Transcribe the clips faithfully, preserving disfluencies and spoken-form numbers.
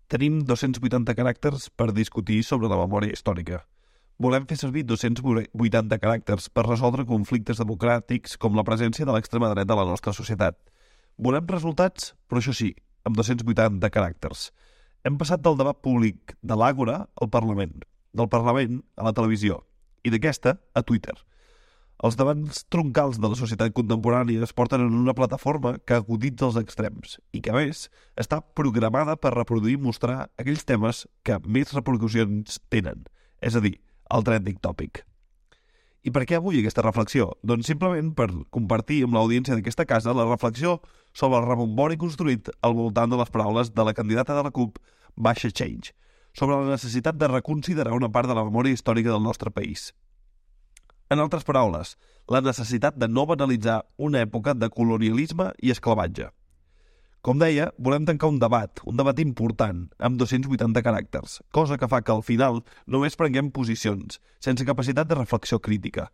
Tenim dos-cents vuitanta caràcters per discutir sobre la memòria històrica. Volem fer servir dos-cents vuitanta caràcters per resoldre conflictes democràtics com la presència de l'extrema dreta a la nostra societat. Volem resultats, però això sí, amb dos-cents vuitanta caràcters. Hem passat del debat públic de l'Àgora al Parlament, del Parlament a la televisió i d'aquesta a Twitter. Els debats troncals de la societat contemporània es porten en una plataforma que aguditza els extrems i que, a més, està programada per reproduir i mostrar aquells temes que més repercussions tenen, és a dir, el trending topic. I per què avui aquesta reflexió? Doncs simplement per compartir amb l'audiència d'aquesta casa la reflexió sobre el rebombori construït al voltant de les paraules de la candidata de la CUP, Baixar Change, sobre la necessitat de reconsiderar una part de la memòria històrica del nostre país. En altres paraules, la necessitat de no banalitzar una època de colonialisme i esclavatge. Com deia, volem tancar un debat, un debat important, amb dos-cents vuitanta caràcters, cosa que fa que al final només prenguem posicions, sense capacitat de reflexió crítica.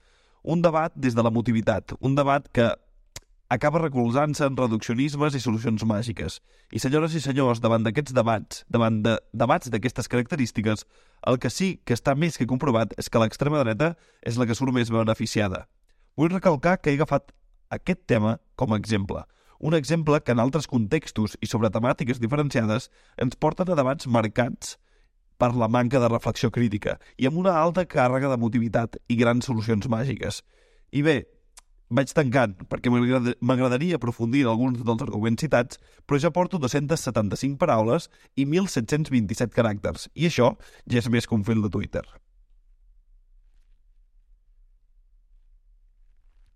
Un debat des de l'emotivitat, un debat que acaba recolzant-se en reduccionismes i solucions màgiques. I senyores i senyors, davant d'aquests debats, davant de debats d'aquestes característiques, el que sí que està més que comprovat és que l'extrema dreta és la que surt més beneficiada. Vull recalcar que he agafat aquest tema com a exemple. Un exemple que en altres contextos i sobre temàtiques diferenciades ens porten a debats marcats per la manca de reflexió crítica i amb una alta càrrega d'emotivitat i grans solucions màgiques. I bé, vaig tancant, perquè m'agradaria aprofundir en alguns dels arguments citats, però ja porto dos-cents setanta-cinc paraules i mil set-cents vint-i-set caràcters, i això ja és més que un fil de Twitter.